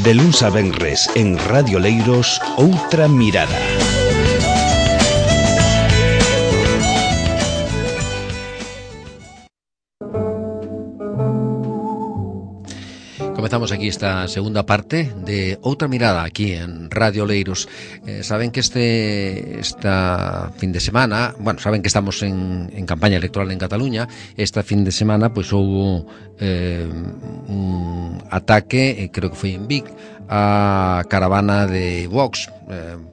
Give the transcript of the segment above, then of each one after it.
De luns a venres en Radio Leiros, Outra Mirada. Comezamos aquí esta segunda parte de Outra Mirada aquí en Radio Leiros. Saben que esta fin de semana, bueno, saben que estamos en campaña electoral en Cataluña. Esta fin de semana pues houve un ataque, creo que foi en Vic, a caravana de Vox,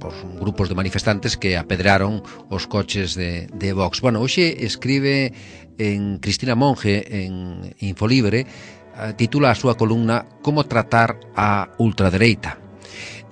por grupos de manifestantes que apedraron os coches de Vox. Bueno, hoxe escribe en Cristina Monge en Infolibre, titula a súa columna Como tratar a ultradereita.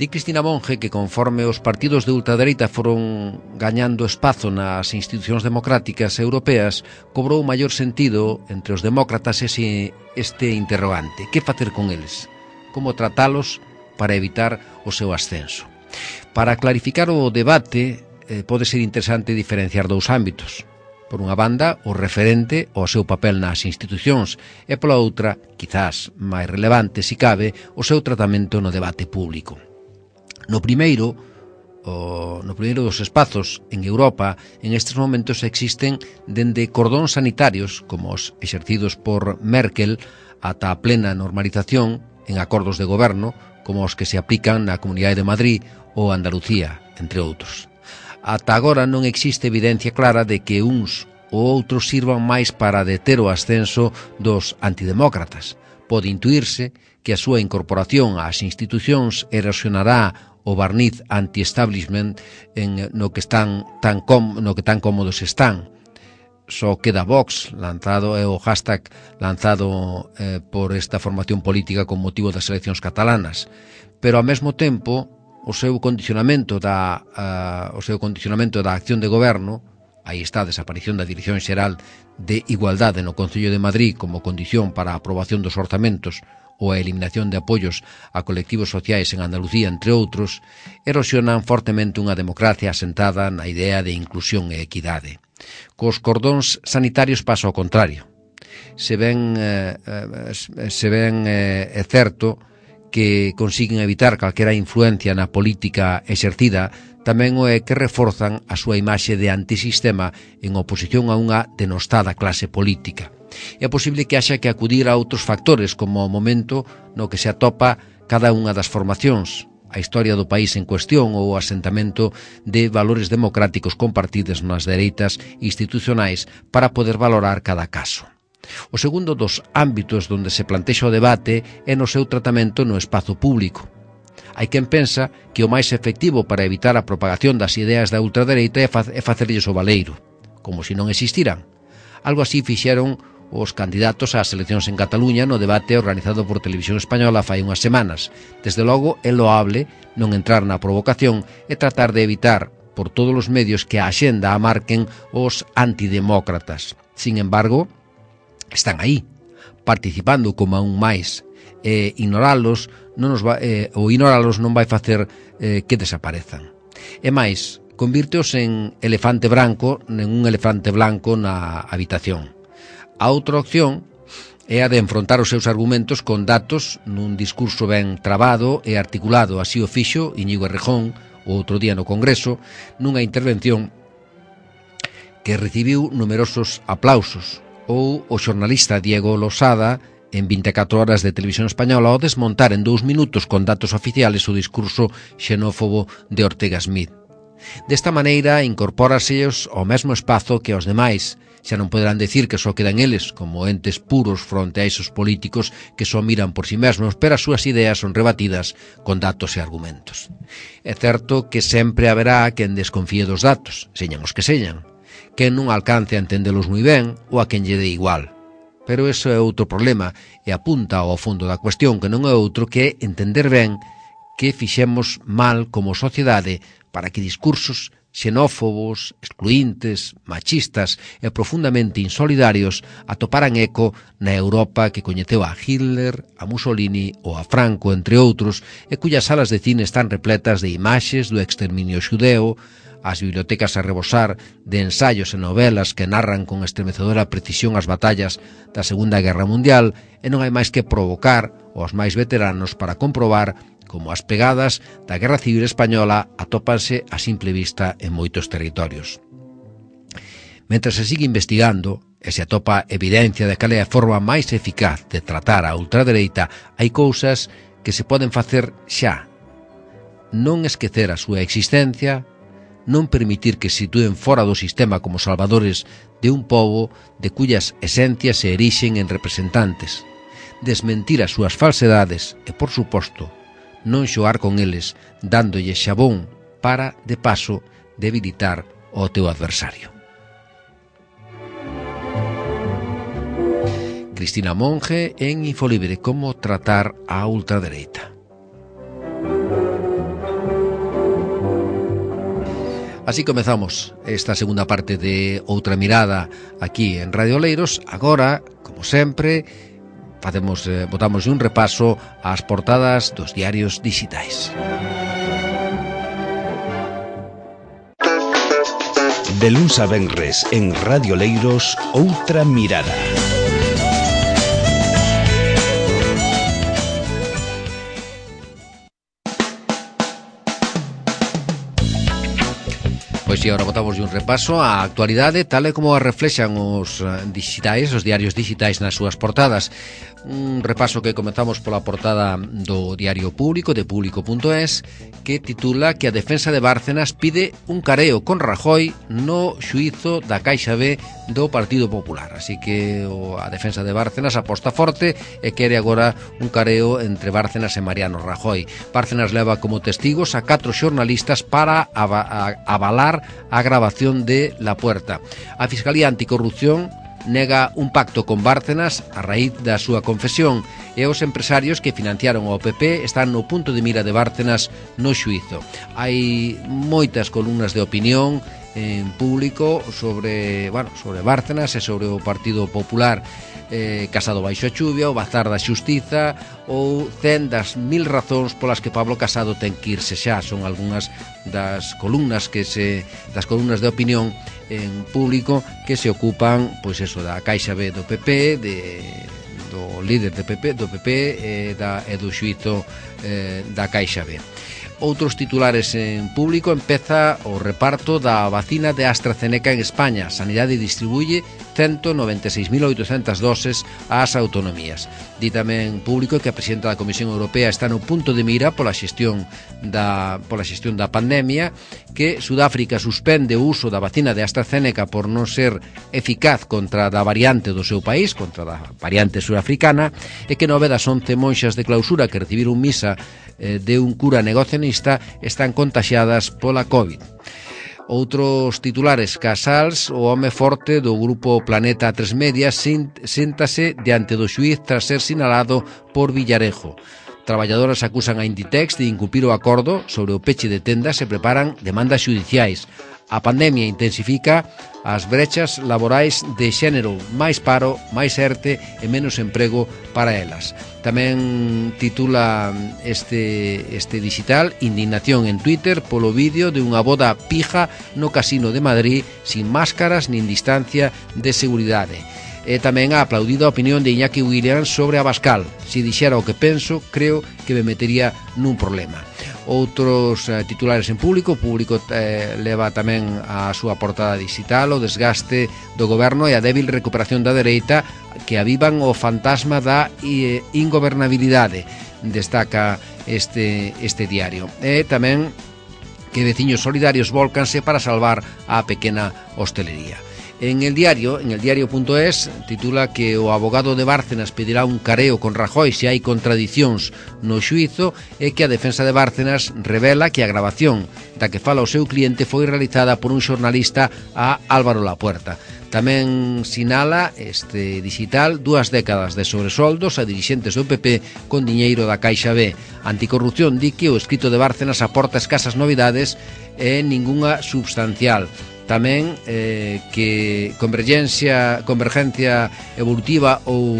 Di Cristina Monge que conforme os partidos de ultradereita foron gañando espazo nas institucións democráticas europeas, cobrou maior sentido entre os demócratas este interrogante: que facer con eles? Como tratalos para evitar o seu ascenso? Para clarificar o debate, pode ser interesante diferenciar dous ámbitos. Por unha banda, o referente ao seu papel nas institucións e pola outra, quizás máis relevante, si cabe, o seu tratamento no debate público. No primeiro dos espazos en Europa, en estes momentos existen dende cordóns sanitarios, como os exercidos por Merkel, ata a plena normalización en acordos de goberno, como os que se aplican na Comunidade de Madrid ou Andalucía, entre outros. Ata agora non existe evidencia clara de que uns ou outros sirvan máis para deter o ascenso dos antidemócratas. Pode intuírse que a súa incorporación ás institucións erosionará o barniz anti-establishment no que tan cómodos están. Só queda Vox, lanzado é o hashtag lanzado por esta formación política con motivo das eleccións catalanas, pero ao mesmo tempo o seu condicionamento da acción de goberno, aí está a desaparición da Dirección Xeral de Igualdade no Concello de Madrid como condición para a aprobación dos orzamentos ou a eliminación de apoios a colectivos sociais en Andalucía, entre outros, erosionan fortemente unha democracia asentada na idea de inclusión e equidade. Cos cordóns sanitarios pasa ao contrario. Se ben é certo que consiguen evitar calquera influencia na política exercida, tamén o é que reforzan a súa imaxe de antisistema en oposición a unha denostada clase política. É posible que haxa que acudir a outros factores, como o momento no que se atopa cada unha das formacións, a historia do país en cuestión ou o asentamento de valores democráticos compartidos nas dereitas institucionais para poder valorar cada caso. O segundo dos ámbitos onde se plantexa o debate é no seu tratamento no espazo público. Hai quen pensa que o máis efectivo para evitar a propagación das ideas da ultradereita é facerlles o baleiro, como se non existiran. Algo así fixeron os candidatos ás eleccións en Cataluña no debate organizado por Televisión Española fai unhas semanas. Desde logo, é loable non entrar na provocación e tratar de evitar por todos os medios que a axenda a marquen os antidemócratas. Sin embargo, están aí, participando como aún máis, e ignoralos non vai facer que desaparezan. E máis, convírteos en un elefante blanco na habitación. A outra opción é a de enfrontar os seus argumentos con datos nun discurso ben trabado e articulado. Así o fixo Íñigo Errejón o outro día no Congreso, nunha intervención que recibiu numerosos aplausos, ou o xornalista Diego Losada en 24 horas de Televisión Española ao desmontar en 2 minutos con datos oficiales o discurso xenófobo de Ortega Smith. Desta maneira, incorpóraseos ao mesmo espazo que aos demais. Xa non poderán decir que só quedan eles como entes puros fronte a esos políticos que só miran por si mesmos, pero as súas ideas son rebatidas con datos e argumentos. É certo que sempre haberá quen desconfíe dos datos, señan os que señan, quen non alcance a entendelos moi ben ou a quen lle dé igual. Pero iso é outro problema e apunta ao fondo da cuestión, que non é outro que entender ben que fixemos mal como sociedade para que discursos xenófobos, excluíntes, machistas e profundamente insolidarios atoparan eco na Europa que coñeceu a Hitler, a Mussolini ou a Franco, entre outros, e cuyas salas de cine están repletas de imaxes do exterminio xudeo, as bibliotecas a rebosar de ensaios e novelas que narran con estremecedora precisión as batallas da Segunda Guerra Mundial, e non hai máis que provocar aos máis veteranos para comprobar como as pegadas da Guerra Civil Española atópanse a simple vista en moitos territorios. Mentre se sigue investigando e se atopa evidencia de cal é a forma máis eficaz de tratar a ultradereita, hai cousas que se poden facer xa. Non esquecer a súa existencia, non permitir que se sitúen fora do sistema como salvadores de un pobo de cuyas esencias se erixen en representantes, desmentir as súas falsedades e, por suposto, non xoar con eles, dándolle xabón para, de paso, debilitar o teu adversario. Cristina Monge en Infolibre, como tratar a ultradereita. Así comezamos esta segunda parte de Outra Mirada aquí en Radio Oleiros. Agora, como sempre, botamos un repaso ás portadas dos diarios digitais. De luns a venres en Radio Oleiros, Outra Mirada. Pois si, agora botamos un repaso á actualidade tal e como a reflexan os digitais, os diarios digitais nas súas portadas. Un repaso que comezamos pola portada do Diario Público, de público.es, que titula que a defensa de Bárcenas pide un careo con Rajoy no xuízo da Caixa B do Partido Popular. Así que a defensa de Bárcenas aposta forte e quere agora un careo entre Bárcenas e Mariano Rajoy. Bárcenas leva como testigos a 4 xornalistas para avalar a grabación de La Puerta. A Fiscalía Anticorrupción nega un pacto con Bárcenas a raíz da súa confesión e os empresarios que financiaron ao PP están no punto de mira de Bárcenas no xuízo. Hai moitas columnas de opinión en público sobre Bárcenas e sobre o Partido Popular. Casado baixo a chuvia, o bazar da xustiza ou 100 das 1000 razóns polas que Pablo Casado ten que irse xa. Son algunhas das columnas de opinión en público que se ocupan, pois eso, da Caixa B do PP, do líder do PP e do xuízo da Caixa B. Outros titulares en público: empeza o reparto da vacina de AstraZeneca en España. Sanidade distribuye 196.800 doses ás autonomías. Di tamén público que a presidenta da Comisión Europea está no punto de mira pola xestión da pandemia, que Sudáfrica suspende o uso da vacina de AstraZeneca por non ser eficaz contra da variante do seu país, contra da variante surafricana, e que 9 das 11 monxas de clausura que recibiron misa de un cura negacionista están contaxiadas pola COVID. Outros titulares: Casals, o home forte do grupo Planeta 3 Media, séntase diante do xuíz tras ser sinalado por Villarejo. Traballadoras acusan a Inditex de incumprir o acordo sobre o peche de tendas e preparan demandas xudiciais. A pandemia intensifica as brechas laborais de xénero, máis paro, máis ERTE e menos emprego para elas. Tamén titula este digital: indignación en Twitter polo vídeo de unha boda pija no Casino de Madrid sin máscaras nin distancia de seguridade. E tamén ha aplaudido a opinión de Iñaki Williams sobre Abascal. Se dixera o que penso, creo que me metería nun problema. Outros titulares en público. O público leva tamén a súa portada digital: o desgaste do goberno e a débil recuperación da dereita que avivan o fantasma da ingobernabilidade, destaca este diario. E tamén que veciños solidarios vólcanse para salvar a pequena hostelería. En el diario.es titula que o abogado de Bárcenas pedirá un careo con Rajoy se hai contradicións no xuízo, e que a defensa de Bárcenas revela que a grabación da que fala o seu cliente foi realizada por un xornalista a Álvaro Lapuerta. Tamén sinala este digital 2 décadas de sobresoldos a dirixentes do PP con diñeiro da Caixa B. Anticorrupción di que o escrito de Bárcenas aporta escasas novidades e ningunha substancial. Tamén que convergencia evolutiva ou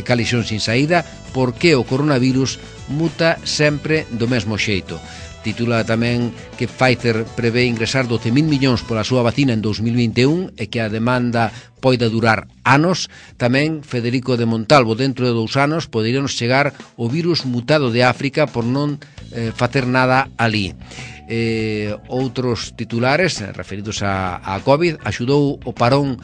calixón sin saída, porque o coronavirus muta sempre do mesmo xeito. Titula tamén que Pfizer prevé ingresar 12.000 millóns pola súa vacina en 2021 e que a demanda poida durar anos. Tamén Federico de Montalvo, dentro de 2 anos poderíanos chegar o virus mutado de África por non facer nada ali. Outros titulares referidos a COVID: axudou o parón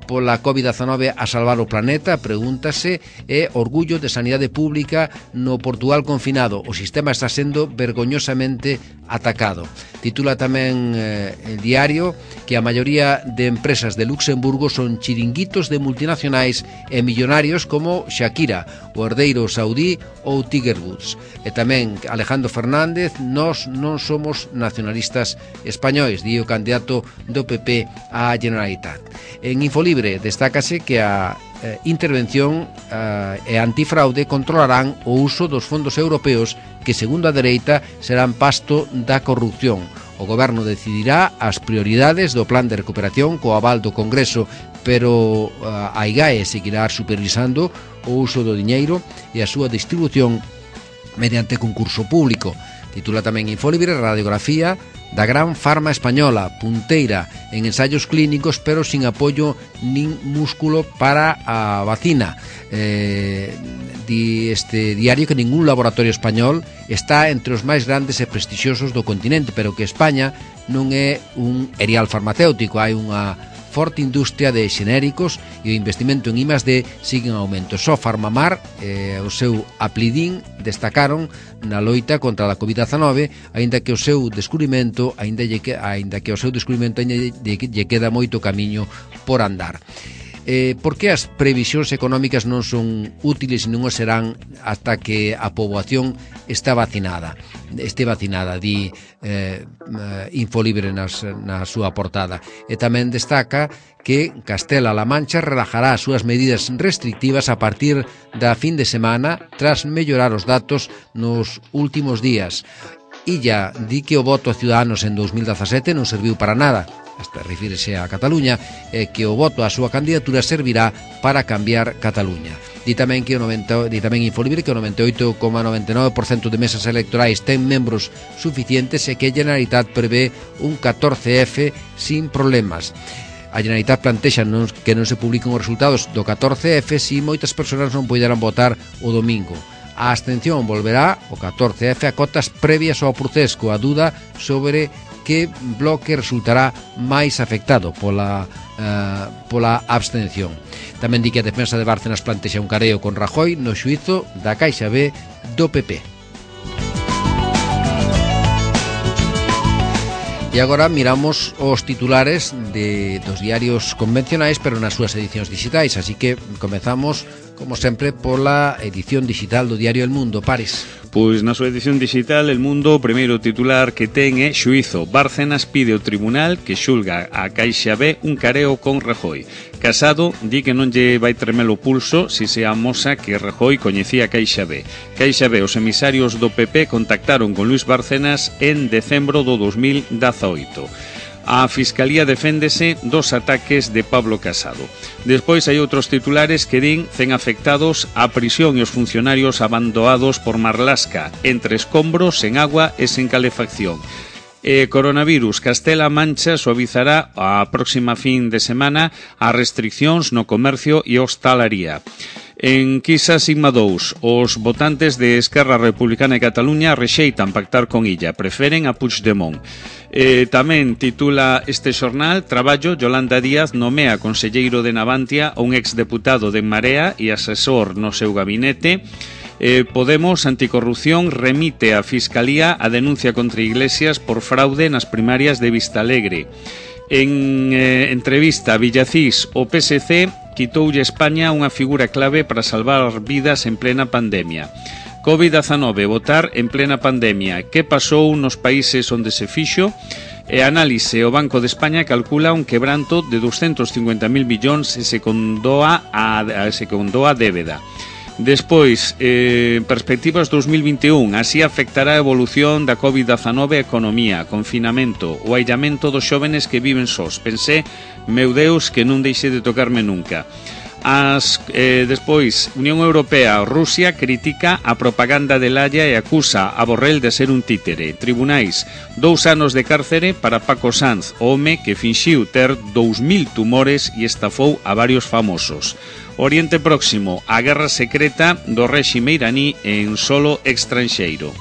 pola COVID-19 a salvar o planeta, pregúntase, e orgullo de sanidade pública no Portugal confinado. O sistema está sendo vergoñosamente atacado. Titula tamén el diario que a maioría de empresas de Luxemburgo son chiringuitos de multinacionais e millonarios como Shakira, o herdeiro saudí ou Tiger Woods. E tamén Alejandro Fernández: nós non somos nacionalistas españois, di o candidato do PP á Generalitat. En Infolibre destácase que a intervención e antifraude controlarán o uso dos fondos europeos que, segundo a dereita, serán pasto da corrupción. O goberno decidirá as prioridades do plan de recuperación co aval do Congreso, pero a IGAE seguirá supervisando o uso do diñeiro e a súa distribución mediante concurso público. Titula tamén Infolibre: radiografía da gran farma española, punteira en ensaios clínicos, pero sin apoio nin músculo para a vacina. Di este diario que ningún laboratorio español está entre os máis grandes e prestixiosos do continente, pero que España non é un erial farmacéutico. Hai unha forte industria de xenéricos e o investimento en I+D sigue en aumento. Só Farmamar e o seu Aplidin destacaron na loita contra a COVID-19, aínda que o seu descubrimento lle queda moito camiño por andar. Por que as previsións económicas non son útiles e non o serán ata que a poboación este vacinada, di Infolibre na súa portada. E tamén destaca que Castela-La Mancha relajará as súas medidas restrictivas a partir da fin de semana tras mellorar os datos nos últimos días. Illa di que o voto a Ciudadanos en 2017 non serviu para nada, hasta refírese a Cataluña, e que o voto á súa candidatura servirá para cambiar Cataluña. Di tamén Infolibre que o 98,99% de mesas electorais ten membros suficientes e que a Generalitat prevé un 14F sin problemas. A Generalitat plantexa que non se publiquen os resultados do 14F si moitas persoas non poderán votar o domingo. A abstención volverá o 14F a cotas previas ao proceso, a duda sobre que bloque resultará máis afectado pola abstención. Tamén di que a defensa de Bárcenas plantexa un careo con Rajoy no xuízo da Caixa B do PP. E agora miramos os titulares dos diarios convencionais, pero nas súas edicións digitais, así que comezamos, como sempre, pola edición digital do diario El Mundo. Paris. Pois na súa edición digital El Mundo, o primeiro titular que ten é xuízo: Bárcenas pide ao tribunal que xulga a Caixa B un careo con Rajoy. Casado di que non lle vai tremer o pulso si se amosa que Rajoy coñecía a Caixa B. Caixa B, os emisarios do PP contactaron con Luis Bárcenas en decembro do 2018. A Fiscalía deféndese dos ataques de Pablo Casado. Despois hai outros titulares que din 100 afectados á prisión e os funcionarios abandonados por Marlasca, entre escombros, sen agua e sen calefacción. Coronavirus, Castela-A Mancha suavizará a próxima fin de semana as restriccións no comercio e hostalaría. En Quisa Sigma 2, os votantes de Esquerra Republicana de Cataluña rexeitan pactar con Illa, preferen a Puigdemont. Tamén titula este xornal: Traballo, Yolanda Díaz nomea conselleiro de Navantia a un exdeputado de Marea e asesor no seu gabinete. Podemos Anticorrupción remite á Fiscalía a denuncia contra Iglesias por fraude nas primarias de Vistalegre. En entrevista a Villacís, o PSC quitoulle a España unha figura clave para salvar vidas en plena pandemia. COVID-19, votar en plena pandemia. Que pasou nos países onde se fixo? E análise: o Banco de España calcula un quebranto de 250.000 millóns e se condoa a débeda. Despois, perspectivas 2021, así afectará a evolución da COVID-19 a economía, confinamento, o aillamento dos xóvenes que viven sós. Pensé, meu Deus, que non deixe de tocarme nunca. Despois, Unión Europea, Rusia critica a propaganda de Laia e acusa a Borrell de ser un títere. Tribunais, 2 anos de cárcere para Paco Sanz, o home que finxiu ter 2000 tumores e estafou a varios famosos. Oriente Próximo, a guerra secreta do réxime iraní en solo extranxeiro.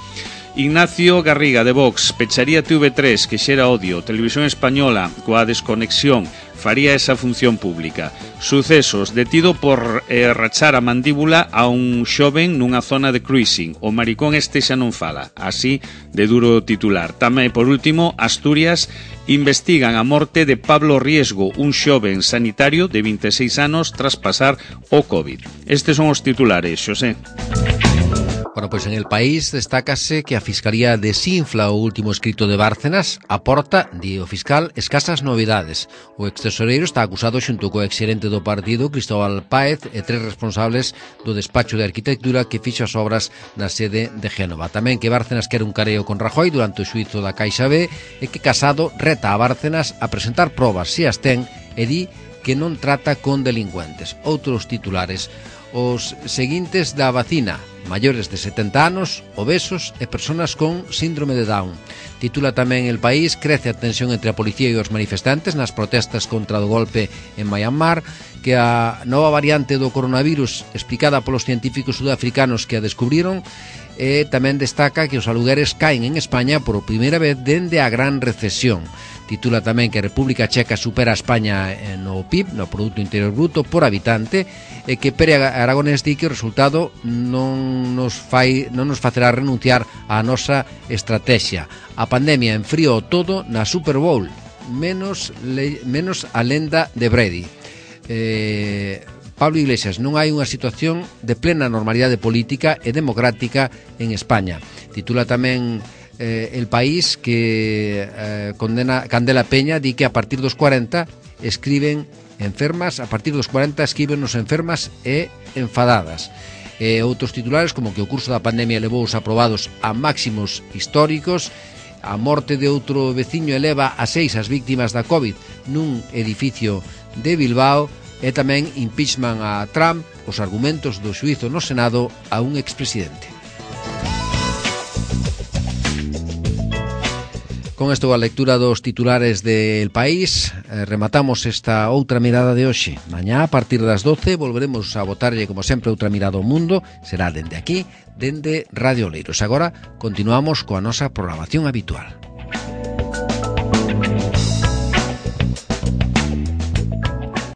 Ignacio Garriga de Vox pecharía TV3 que xera odio. Televisión Española coa desconexión faría esa función pública. Sucesos, detido por rachar a mandíbula a un xoven nunha zona de cruising. O maricón este xa non fala, así de duro titular. Tamén, por último, Asturias investigan a morte de Pablo Riesgo, un xoven sanitario de 26 anos tras pasar o COVID. Estes son os titulares, Xosé. Bueno, pois en El País destácase que a Fiscalía desinfla o último escrito de Bárcenas, aporta, di o fiscal, escasas novidades. O extesoreiro está acusado xunto co exxerente do partido, Cristóbal Páez, e 3 responsables do despacho de arquitectura que fixo as obras na sede de Génova. Tamén que Bárcenas quere un careo con Rajoy durante o xuízo da Caixa B e que Casado reta a Bárcenas a presentar probas se as ten e di que non trata con delincuentes. Outros titulares. Os seguintes da vacina: maiores de 70 anos, obesos e persoas con síndrome de Down. Titula tamén El País: crece a tensión entre a policía e os manifestantes nas protestas contra o golpe en Myanmar, que a nova variante do coronavirus explicada polos científicos sudafricanos que a descubriron, e tamén destaca que os alugueres caen en España por primeira vez dende a gran recesión. Titula tamén que a República Checa supera a España no PIB, no Produto Interior Bruto, por habitante, e que Pere Aragonés di que o resultado non nos facerá renunciar á nosa estrategia. A pandemia enfriou todo na Super Bowl, menos a lenda de Brady. Pablo Iglesias: non hai unha situación de plena normalidade política e democrática en España. Titula tamén El País que condena Candela Peña, di que a partir dos 40 escriben enfermas, a partir dos 40 escriben-nos enfermas e enfadadas. Outros titulares como que o curso da pandemia levou os aprobados a máximos históricos, a morte de outro veciño eleva a 6 as víctimas da COVID nun edificio de Bilbao, e tamén impeachment a Trump, os argumentos do xuízo no Senado a un expresidente. Con isto a lectura dos titulares de El País, rematamos esta outra mirada de hoxe. Mañá, a partir das 12, volveremos a botarlle, como sempre, outra mirada ao mundo. Será dende aquí, dende Radio Oleiros. Agora, continuamos coa nosa programación habitual.